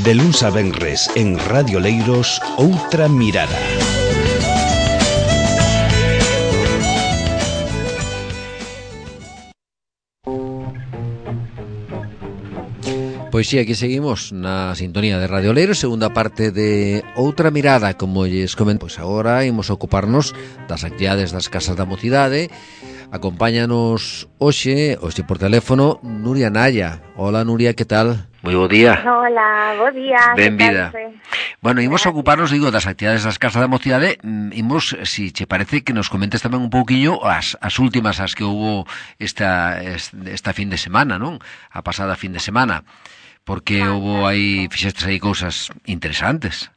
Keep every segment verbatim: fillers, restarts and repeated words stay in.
De luns a venres en Radio Leiros, Outra Mirada. Pois si, aquí seguimos na sintonía de Radio Leiros, segunda parte de Outra Mirada, como lles comento. Pois agora imos ocuparnos das actividades das Casas da Mocidade. Acompáñanos hoxe, hoxe por teléfono, Nuria Naya. Hola Nuria, que tal? Moi bo día. Hola, bo día. Benvida. Bueno, imos ocuparnos, digo, das actividades das Casas da Mocidade. Imos, si che parece, que nos comentes tamén un pouquiño as, as últimas as que houbo esta, esta fin de semana, non? A pasada fin de semana. Porque houve aí, fixestes aí cousas interesantes.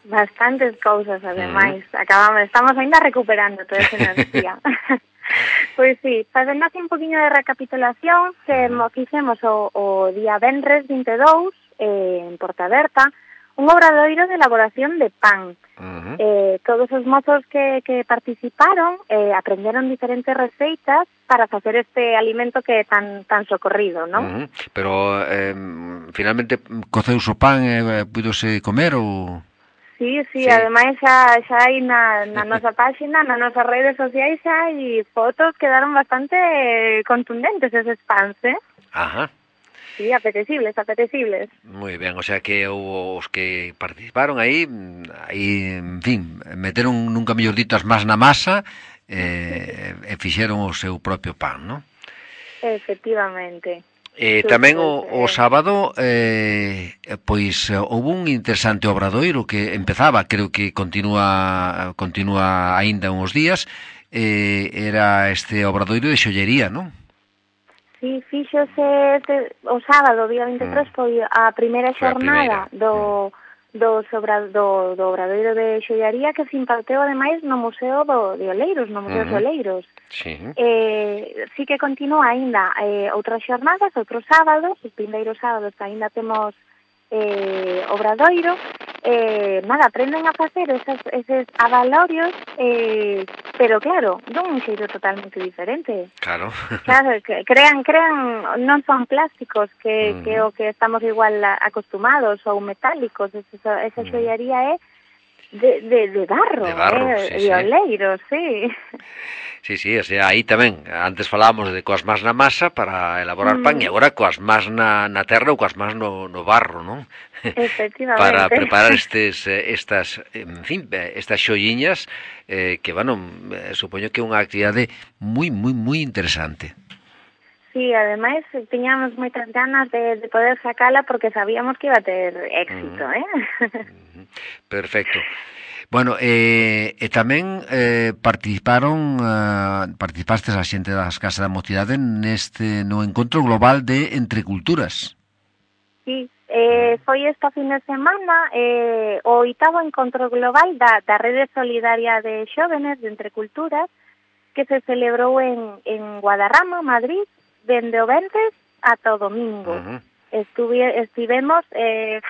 Bastantes cousas, ademais. Mm. Acabamos, estamos ainda recuperando toda esa enerxía. Pois sí, facendo así un poquinho de recapitulación, que mo fixemos o, o día venres vinte e dous, eh, en Portaberta, un obradoiro de elaboración de pan. Uh-huh. Eh, todos os mozos que, que participaron eh, aprenderon diferentes receitas para facer este alimento que é tan tan socorrido, non? Uh-huh. Pero, eh, finalmente, coceuse o pan e eh, pudose comer ou...? Sí, sí, sí, ademais xa, xa hai na, na nosa páxina, na nosas redes sociais xa hai fotos que quedaron bastante contundentes eses pans, eh? Ajá. Sí, apetecibles, apetecibles. Moi ben, o sea que os que participaron aí, aí, en fin, meteron, nunca mellor dito, as más na masa eh, e fixeron o seu propio pan, non? Efectivamente. Eh, tamén o, o sábado, eh, pois, houve un interesante obradoiro que empezaba, creo que continúa continúa aínda uns días, eh, era este obradoiro de xollería, non? Sí, fíxose este, o sábado, día vinte e tres, mm. foi a primeira xornada do, do, sobra, do, do obradoiro de xollaría que se imparteu ademais no Museo do, de Oleiros, no Museo mm. de Oleiros. Sí. Eh, sí que continúa aínda eh, outras xornadas, outros sábados, os primeiros sábados aínda temos eh, obradoiro, eh, nada, aprenden a facer esos, eses abalorios, eh, pero claro, dun xeito totalmente diferente. Claro. Claro, que crean, crean, non son plásticos, que, uh-huh. que o que estamos igual acostumados, ou metálicos, esa, esa xollaría é de, de, de barro, de barro, eh, sí, de oleiro, sí. Sí, sí, o sea, aí tamén, antes falábamos de coas más na masa para elaborar mm. pan, e agora coas más na, na terra ou coas más no, no barro, non? Efectivamente. Para preparar estes, estas, en fin, estas xolliñas, eh, que, bueno, supoño que é unha actividade moi, moi, moi interesante. Sí, ademais, tiñamos moitas ganas de, de poder sacala porque sabíamos que iba a ter éxito, mm. eh? Perfecto. Bueno, eh, e tamén eh, participaron, eh, participastes a xente das Casas da Mocidade neste, no encontro global de Entre Culturas. Sí, eh, foi esta fin de semana eh, o oitavo encontro global da, da Rede Solidaria de Xóvenes de Entre Culturas que se celebrou en, en Guadarrama, Madrid, dende o venres ata o domingo. Uh-huh. Estuve, estivemos... Eh,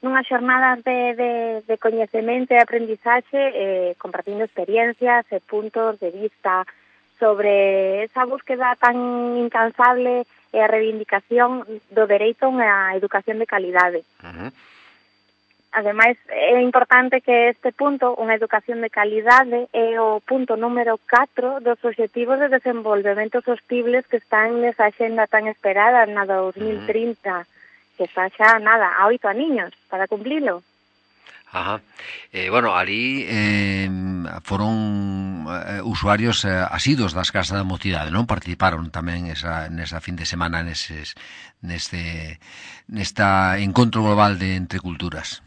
nunhas xornadas de, de, de coñecemento e aprendizaxe, eh, compartindo experiencias e puntos de vista sobre esa búsqueda tan incansable e a reivindicación do dereito a unha educación de calidade. Uh-huh. Ademais, é importante que este punto, unha educación de calidade, é o punto número catro dos Obxectivos de Desenvolvemento Sostibles que están nesa axenda tan esperada na dos mil trinta. Uh-huh. Que está xa, nada, a oito aniños para cumplilo. Ajá. Eh, bueno, ali eh, foron eh, usuarios eh, asidos das Casas da Mocidade, non? Participaron tamén esa, nesa fin de semana neses, neste, nesta encontro global de Entre Culturas.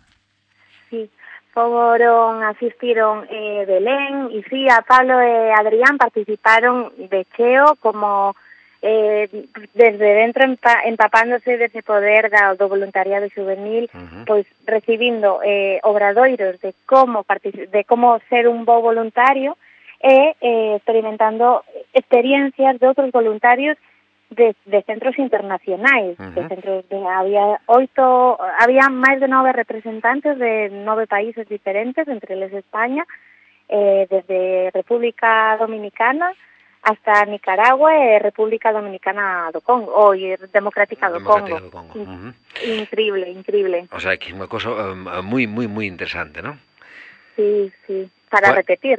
Sí, foron, asistiron eh, Belén, Icía, Pablo e Adrián participaron de cheo como... Eh, desde dentro empa, empapándose dese poder da, do voluntariado juvenil, uh-huh. pois recibindo eh, obradoiros de como de como ser un bo voluntario e eh, experimentando experiencias de outros voluntarios de, de centros internacionais, uh-huh. de centros de había oito, había máis de nove representantes de nove países diferentes, entre eles España, eh, desde República Dominicana hasta Nicaragua e República Dominicana do Congo, ou Democrática do Congo. do Congo. In, uh-huh. Increíble, increíble. O sea, que é unha cosa um, moi, moi, moi interesante, non? Sí, sí, para bueno, repetir.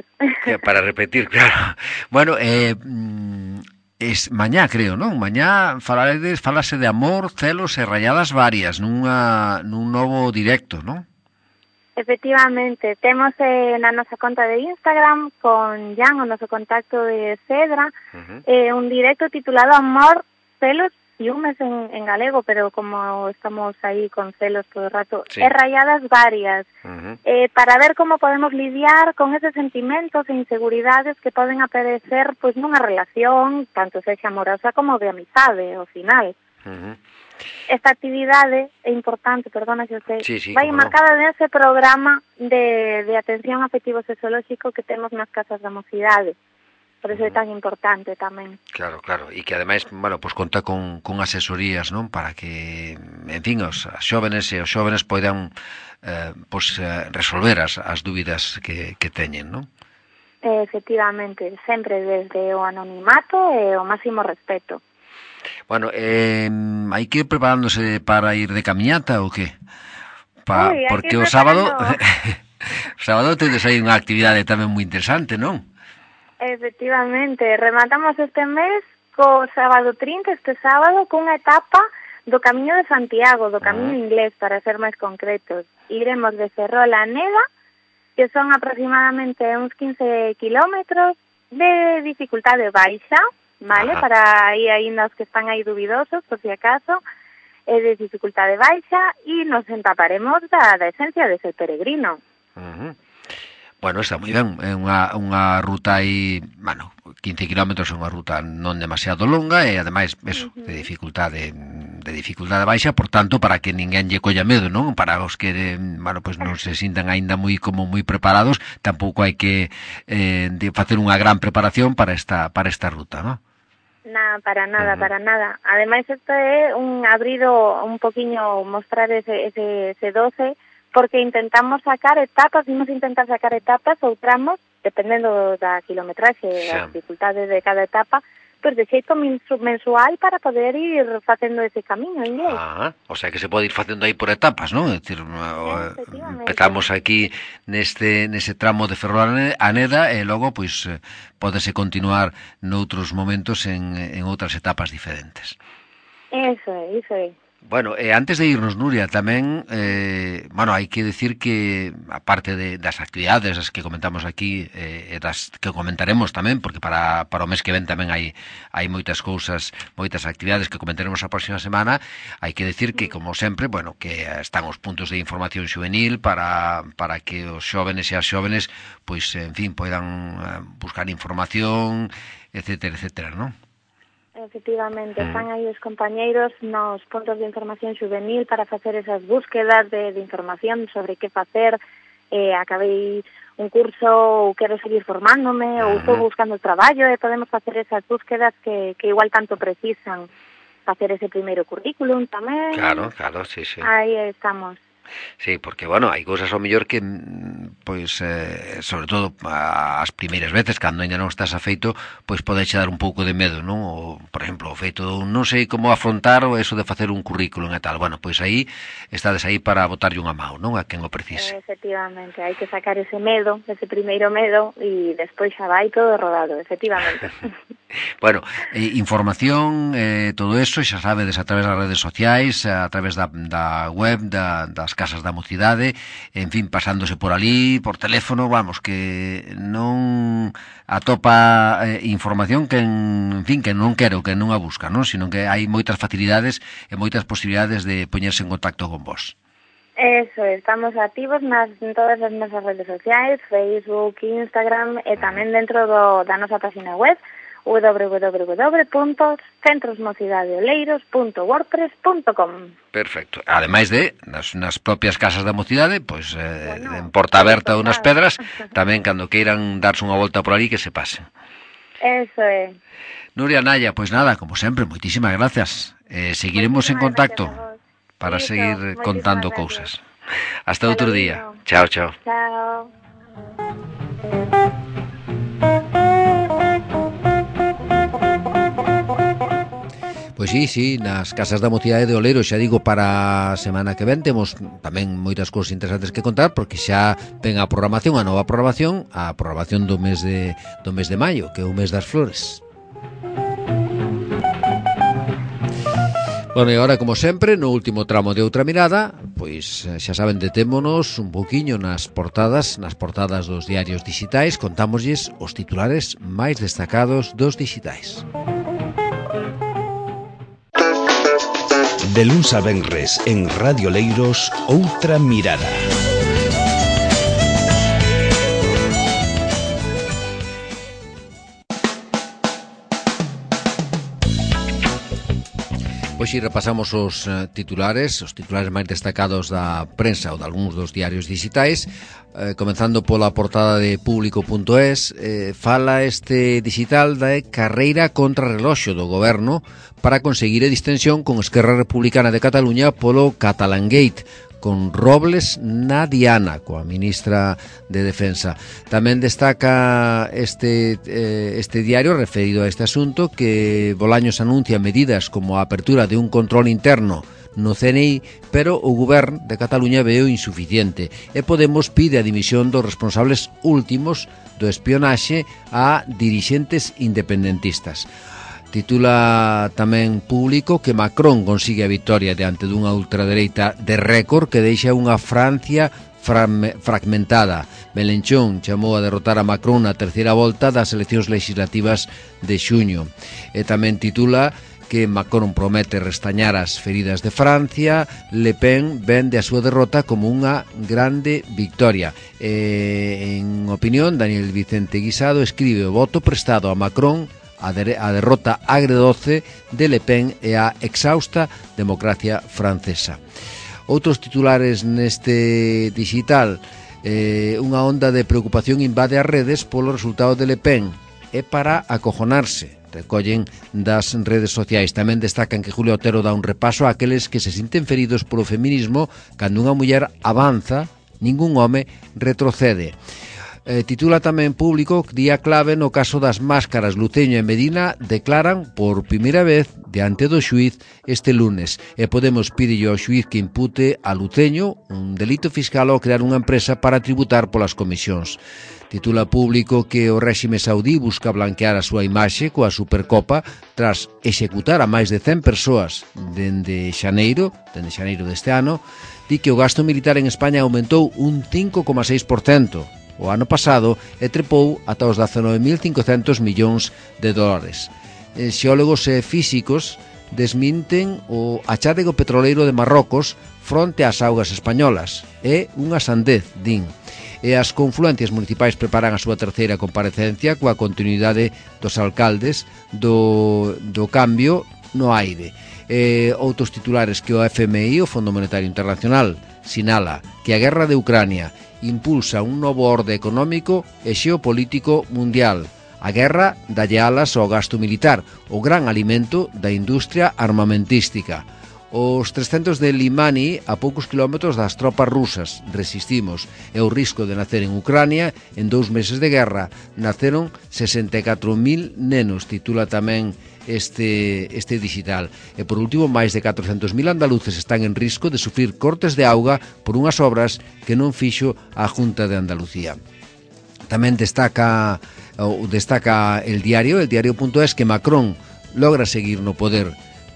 Para repetir, claro. Bueno, eh, es mañá, creo, non? Mañá falades, falase de amor, celos e rayadas varias nunha, nun novo directo, non? Efectivamente, temos eh, na nosa conta de Instagram con Jan, o noso contacto de Cedra, uh-huh. eh, un directo titulado Amor, celos, ciúmes en, en galego, pero como estamos aí con celos todo el rato, sí. E rayadas varias, uh-huh. eh, para ver como podemos lidiar con esos sentimentos e inseguridades que poden aparecer pois nunha relación, tanto sexa amorosa como de amizade, ao final. Uh-huh. Esta actividade é importante, perdona que eu sei, sí, sí, vai marcada no. nese programa de, de atención afectivo sexolóxico que temos nas casas da mocidade. Por eso é tan importante tamén. Claro, claro, e que ademais, bueno, pues conta con, con asesorías, non? Para que, en fin, os xóvenes e os xóvenes poidan eh, pues, eh, resolver as, as dúbidas que, que teñen, non? Efectivamente, sempre desde o anonimato e o máximo respeto. Bueno, eh, hai que ir preparándose para ir de camiñata ou que? Pa, Uy, porque o sábado o sábado tedes aí unha actividade tamén moi interesante, non? Efectivamente, rematamos este mes co sábado trinta, este sábado, cunha etapa do Camiño de Santiago, do Camiño uh-huh. inglés, para ser máis concretos. Iremos de Ferrol a Neda, que son aproximadamente uns quince kilómetros de dificultade baixa, vale, ajá. Para aí aínda os que están aí dubidosos, por si acaso, é de dificultade baixa e nos entaparemos da, da esencia de ser peregrino. Uh-huh. Bueno, está moi ben, é unha, unha ruta aí, bueno, quince kilómetros é unha ruta non demasiado longa e ademais, eso, uh-huh. de dificultade de dificultade baixa, por tanto, para que ninguén lle colla medo, non? Para os que, bueno, pues non se sintan aínda moi como moi preparados, tampouco hai que eh, de facer unha gran preparación para esta para esta ruta, non? Nada, para nada, uh-huh. para nada. Ademais, isto é un abrido un poquinho, mostrar ese, ese, ese doce, porque intentamos sacar etapas, vimos intentar sacar etapas ou tramos, dependendo da kilometraxe e da dificultade de cada etapa, pues de xeito mensual para poder ir facendo ese camiño en inglés. Ah, o sea que se pode ir facendo aí por etapas, non? É dicir, empezamos aquí neste nese tramo de Ferrol a Neda e logo pois pódese continuar noutros momentos en, en outras etapas diferentes. Eso é, iso é. Bueno, eh, antes de irnos, Nuria, tamén, eh, bueno, hai que decir que, aparte de, das actividades as que comentamos aquí, eh, e das que comentaremos tamén, porque para, para o mes que ven tamén hai, hai moitas cousas, moitas actividades que comentaremos a próxima semana, hai que decir que, como sempre, bueno, que están os puntos de información xuvenil para, para que os xóvenes e as xóvenes, pois, en fin, poidan buscar información, etcétera, etcétera, non? Efectivamente, están aí os compañeiros nos puntos de información juvenil para facer esas búsquedas de, de información sobre que facer. Eh, acabei un curso ou quero seguir formándome ou estou buscando traballo e podemos facer esas búsquedas que, que igual tanto precisan. Facer ese primeiro currículum tamén. Claro, claro, sí, sí. Aí estamos. Sí, porque, bueno, hai cousas ao mellor que, pois, eh, sobre todo as primeiras veces, cando ainda non estás afeito, pois pode che dar un pouco de medo, non? O, por exemplo, o feito, non sei como afrontar o eso de facer un currículum e tal. Bueno, pois aí, estades aí para botarlle unha mão, non? A quen o precise. Efectivamente, hai que sacar ese medo, ese primeiro medo, e despois xa vai todo rodado, efectivamente. Bueno, eh, información, eh, todo eso, xa sabedes, a través das redes sociais, a través da, da web, da, das casas da mocidade, en fin, pasándose por ali, por teléfono, vamos, que non atopa eh, información que, en, en fin, que non quero, que non a busca, non? Sino que hai moitas facilidades e moitas posibilidades de poñerse en contacto con vos. Eso, estamos activos nas, en todas as nosas redes sociais, Facebook, Instagram, e tamén dentro do, da nosa página web, w w w punto centros mocidade oleiros punto wordpress punto com. Perfecto. Ademais de nas, nas propias casas da mocidade, pois eh, bueno, en Porta Aberta ou nas Pedras, tamén cando queiran darse unha volta por ali que se pasen. Eso é. Nuria Naya, pois nada, como sempre, moitísimas gracias. Eh, seguiremos en contacto para Listo, seguir contando gracias. Cousas. Hasta Hasta outro día. Chao, chao. Chao. Pois sí, sí, nas casas da mocidade de Oleiro, xa digo, para a semana que ven temos tamén moitas cousas interesantes que contar, porque xa ven a programación, a nova programación, a programación do mes de do mes de maio, que é o mes das flores. Bueno, e agora, como sempre, no último tramo de Outra Mirada, pois xa saben, detémonos un poquinho nas portadas, nas portadas dos diarios digitais, contámoslles os titulares máis destacados dos digitais. De luns a venres en Radio Leiros, Outra Mirada. Pois si repasamos os uh, titulares, os titulares máis destacados da prensa ou de algúns dos diarios digitais, eh, comenzando pola portada de público punto es, eh, fala este digital da carreira contra reloxo do goberno para conseguir a distensión con Esquerra Republicana de Cataluña polo Catalangate, con Robles na diana, coa ministra de Defensa. Tamén destaca este, eh, este diario referido a este asunto que Bolaños anuncia medidas como a apertura de un control interno no C N I, pero o Govern de Cataluña veo insuficiente e Podemos pide a dimisión dos responsables últimos do espionaxe a dirixentes independentistas. Titula tamén Público que Macron consigue a victoria diante dunha ultradereita de récord que deixa unha Francia fragmentada. Melenchón chamou a derrotar a Macron na terceira volta das eleccións legislativas de xuño. E tamén titula que Macron promete restañar as feridas de Francia, Le Pen vende a súa derrota como unha grande victoria. E, en opinión, Daniel Vicente Guisado escribe o voto prestado a Macron a, de, a derrota agredoce de Le Pen e a exhausta democracia francesa. Outros titulares neste digital, eh, unha onda de preocupación invade as redes polo resultado de Le Pen e para acojonarse, recollen das redes sociais. Tamén destacan que Julio Otero dá un repaso a aqueles que se sinten feridos polo feminismo cando unha muller avanza, ningún home retrocede. Eh, titula tamén Público, día clave no caso das máscaras. Luceño e Medina declaran por primeira vez diante do xuíz este lunes e Podemos pídelle ao xuíz que impute a Luceño un delito fiscal ao crear unha empresa para tributar polas comisións. Titula Público que o réxime saudí busca blanquear a súa imaxe coa Supercopa tras executar a máis de cen persoas dende xaneiro, dende xaneiro deste ano. Di que o gasto militar en España aumentou un cinco coma seis por cento o ano pasado e trepou ata os dezanove mil cincocentos millóns de dólares. E xeólogos e físicos desminten o achádego petroleiro de Marrocos fronte ás augas españolas. É unha sandez, din. E as confluencias municipais preparan a súa terceira comparecencia coa continuidade dos alcaldes do, do cambio no aire. E outros titulares que o F M I, o Fondo Monetario Internacional, sinala que a guerra de Ucrania impulsa un novo orde económico e xeopolítico mundial. A guerra dalle alas ao gasto militar, o gran alimento da industria armamentística. Os trescentos de Limani a poucos kilómetros das tropas rusas. Resistimos. E o risco de nacer en Ucrania en dous meses de guerra. Naceron sesenta e catro mil nenos, titula tamén este, este digital. E por último, máis de catrocentos mil andaluces están en risco de sufrir cortes de auga por unhas obras que non fixo a Junta de Andalucía. Tamén destaca, ou destaca el diario, el diario punto es, que Macron logra seguir no poder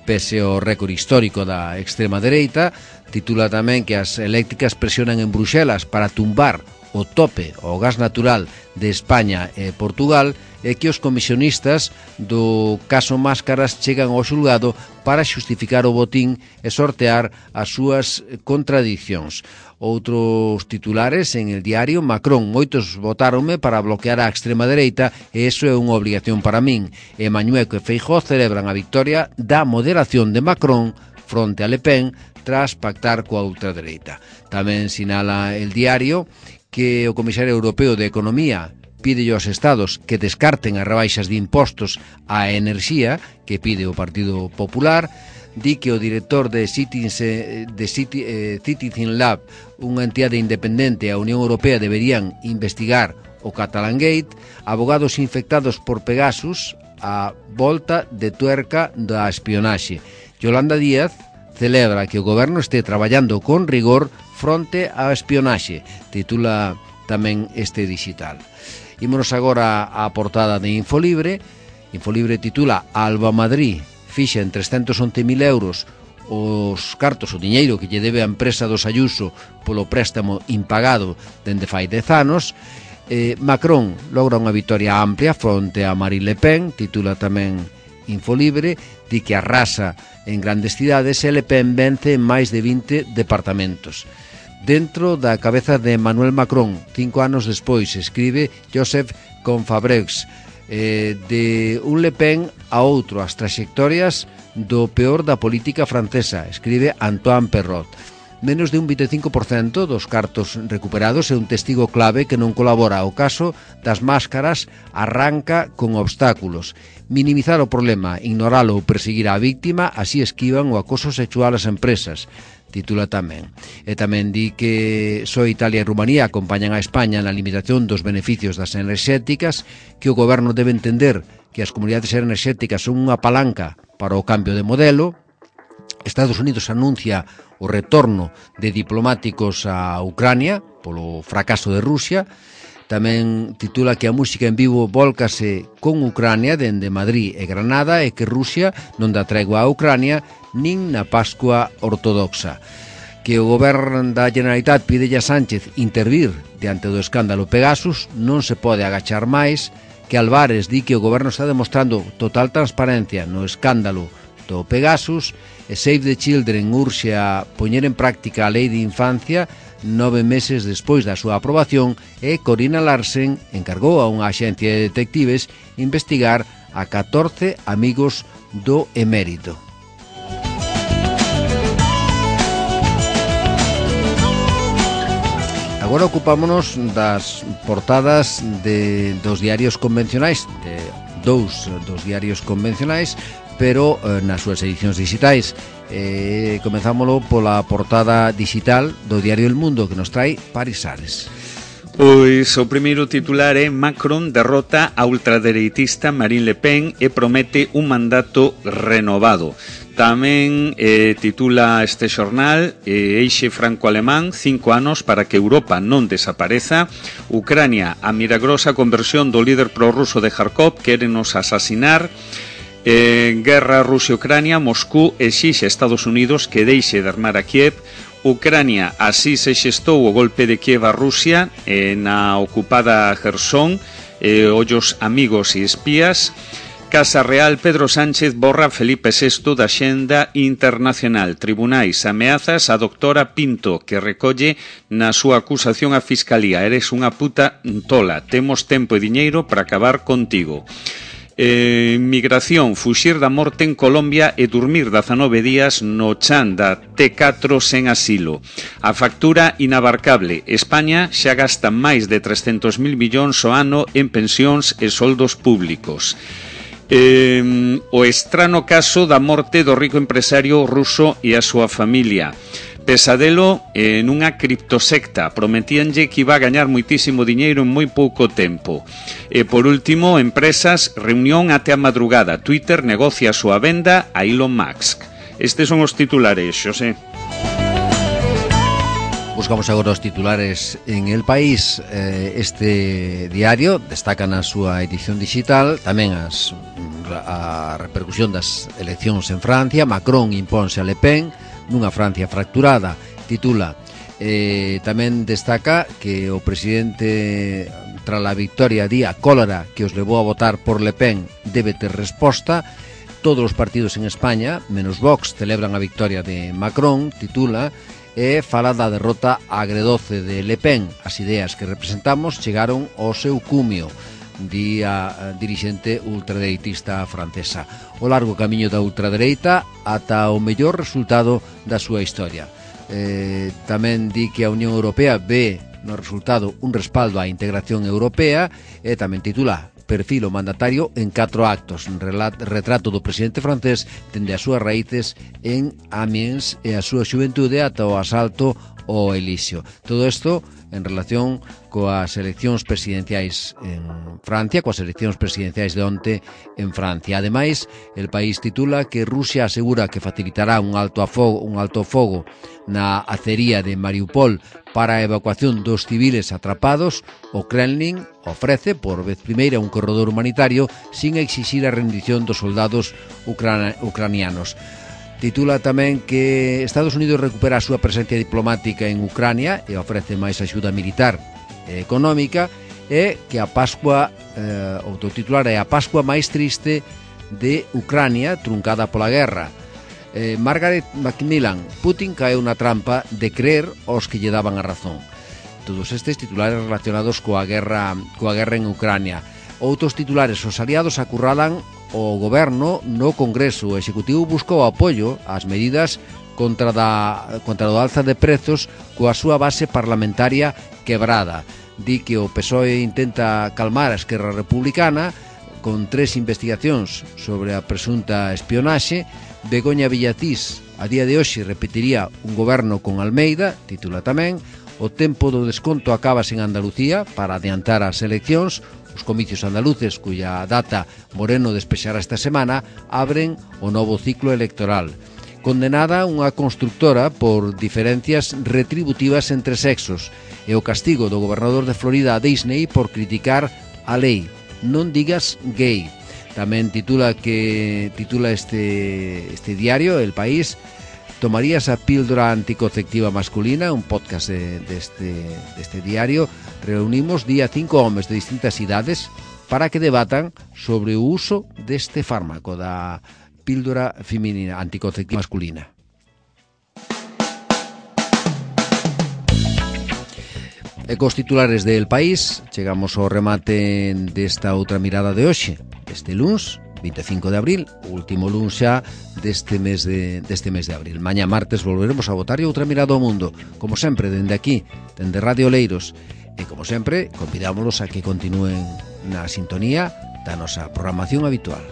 pese ao récord histórico da extrema dereita. Titula tamén que as eléctricas presionan en Bruxelas para tumbar o tope ao gas natural de España e Portugal e que os comisionistas do caso Máscaras chegan ao xulgado para xustificar o botín e sortear as súas contradicións. Outros titulares en el diario, Macron, moitos votáronme para bloquear a extrema dereita e iso é unha obligación para min. E Mañueco e Feijóo celebran a victoria da moderación de Macron fronte a Le Pen tras pactar coa ultradereita. Tamén sinala el diario que o Comisario Europeo de Economía pide aos estados que descarten as rebaixas de impostos á enerxía que pide o Partido Popular. Di que o director de Citizen, de Citi, eh, Citizen Lab, unha entidade independente, a Unión Europea deberían investigar o Catalangate. Abogados infectados por Pegasus a volta de tuerca da espionaxe. Yolanda Díaz celebra que o goberno este traballando con rigor fronte á espionaxe, titula tamén este digital. Ímonos agora á portada de Infolibre. Infolibre titula Alba Madrid fixa en trescentos once mil euros os cartos, o diñeiro que lle debe a empresa dos Ayuso polo préstamo impagado dende fai dez anos. eh, Macron logra unha vitoria amplia fronte a Marine Le Pen, titula tamén Infolibre, di que arrasa en grandes cidades e Le Pen vence en máis de vinte departamentos. Dentro da cabeza de Emmanuel Macron, cinco anos despois, escribe Joseph Confabrex, eh, de un Le Pen a outro, as traxectorias do peor da política francesa, escribe Antoine Perrot. Menos de un vinte e cinco por cento dos cartos recuperados é un testigo clave que non colabora. O caso das máscaras arranca con obstáculos. Minimizar o problema, ignoralo ou perseguir á víctima, así esquivan o acoso sexual ás empresas, titula tamén. E tamén di que só Italia e Rumanía acompañan a España na limitación dos beneficios das enerxéticas, que o goberno debe entender que as comunidades enerxéticas son unha palanca para o cambio de modelo. Estados Unidos anuncia o retorno de diplomáticos a Ucrania polo fracaso de Rusia. Tamén titula que a música en vivo volcase con Ucrania dende Madrid e Granada e que Rusia non dá tregua a Ucrania nin na Pascua ortodoxa. Que o goberno da Generalitat pidelle a Sánchez intervir diante do escándalo Pegasus, non se pode agachar máis. Que Álvarez di que o goberno está demostrando total transparencia no escándalo do Pegasus. E Save the Children urxe a poñer en práctica a lei de infancia nove meses despois da súa aprobación, e Corina Larsen encargou a unha axencia de detectives investigar a catorce amigos do emérito. Agora ocupámonos das portadas de, dos diarios convencionais, de dous dos diarios convencionais, pero eh, nas súas edicións digitais. Eh, comenzámoslo pola portada digital do diario El Mundo, que nos trae Paris Ares. Pois o primeiro titular é Macron derrota a ultradereitista Marine Le Pen e promete un mandato renovado. Tamén eh, titula este xornal eh, Eixe franco-alemán, cinco anos para que Europa non desapareza. Ucrania, a milagrosa conversión do líder prorruso de Kharkov, quérenos asasinar. Eh, guerra Rusia-Ucrania, Moscú exixe a Estados Unidos que deixe de armar a Kiev. Ucrania, así se xestou o golpe de Kiev a Rusia eh, na ocupada Kherson, eh, ollos amigos e espías. Casa Real, Pedro Sánchez borra Felipe sexto da xenda internacional. Tribunais, ameazas a doctora Pinto, que recolle na súa acusación a Fiscalía. Eres unha puta tola, temos tempo e diñeiro para acabar contigo. Eh, migración, fuxir da morte en Colombia e dormir dezanove días no chan da T catro sen asilo. A factura inabarcable. España xa gasta máis de trescentos mil millóns ao ano en pensións e soldos públicos. Eh, o estrano caso da morte do rico empresario ruso e a súa familia. Pesadelo en unha criptosecta. Prometíanlle que iba a gañar moitísimo diñeiro en moi pouco tempo. E por último, empresas, reunión até a madrugada. Twitter negocia a súa venda a Elon Musk. Estes son os titulares, Xosé. Buscamos agora os titulares en El País. Este diario destaca na súa edición digital tamén as, a repercusión das eleccións en Francia. Macron imponse a Le Pen nunha Francia fracturada, titula. Eh, tamén destaca que o presidente, tras a victoria, di a cólera que os levou a votar por Le Pen debe ter resposta. Todos os partidos en España, menos Vox, celebran a victoria de Macron, titula, e fala da derrota agredoce de Le Pen. As ideas que representamos chegaron ao seu cumio, di a dirixente ultradereitista francesa. O largo camiño da ultradereita ata o mellor resultado da súa historia. Eh, tamén di que a Unión Europea ve no resultado un respaldo á integración europea, e tamén titula Perfil o mandatario en catro actos, retrato do presidente francés dende as súas raíces en Amiens e a súa xuventude ata o asalto o elixio. Todo isto en relación coas eleccións presidenciais en Francia, coas eleccións presidenciais de onte en Francia. Ademais, el país titula que Rusia asegura que facilitará un alto a fogo, un alto fogo na acería de Mariupol para a evacuación dos civiles atrapados. O Kremlin ofrece por vez primeira un corredor humanitario sin exixir a rendición dos soldados ucrana, ucranianos. Titula tamén que Estados Unidos recupera a súa presencia diplomática en Ucrania e ofrece máis axuda militar e económica, e que a Pascua, eh, o titular é a Pascua máis triste de Ucrania truncada pola guerra. Eh, Margaret Macmillan, Putin caeu na trampa de creer aos que lle daban a razón. Todos estes titulares relacionados coa guerra, coa guerra en Ucrania. Outros titulares, os aliados acurralan o goberno no Congreso. O Executivo buscou apoio ás medidas contra, da, contra o alza de prezos coa súa base parlamentaria quebrada. Di que o P S O E intenta calmar a Esquerra Republicana con tres investigacións sobre a presunta espionaxe. Begoña Villacís a día de hoxe repetiría un goberno con Almeida, titula tamén. O tempo do desconto acabas en Andalucía para adiantar as eleccións. Os comicios andaluces, cuya data Moreno despexará esta semana, abren o novo ciclo electoral. Condenada unha constructora por diferencias retributivas entre sexos e o castigo do gobernador de Florida a Disney por criticar a lei Non digas gay. Tamén titula que titula este este diario El País: tomarías a píldora anticonceptiva masculina, un podcast de, de, este, de este diario. Reunimos día cinco homes de distintas idades para que debatan sobre o uso deste fármaco da píldora feminina anticonceptiva masculina. E cos titulares del País chegamos ao remate desta outra mirada de hoxe, este luns vinte e cinco de abril, o último luns xa deste mes de, deste mes de abril. Mañá martes volveremos a botar outra mirada ao mundo, como sempre, dende aquí, dende Radio Oleiros. E, como sempre, convidámolos a que continúen na sintonía da nosa programación habitual.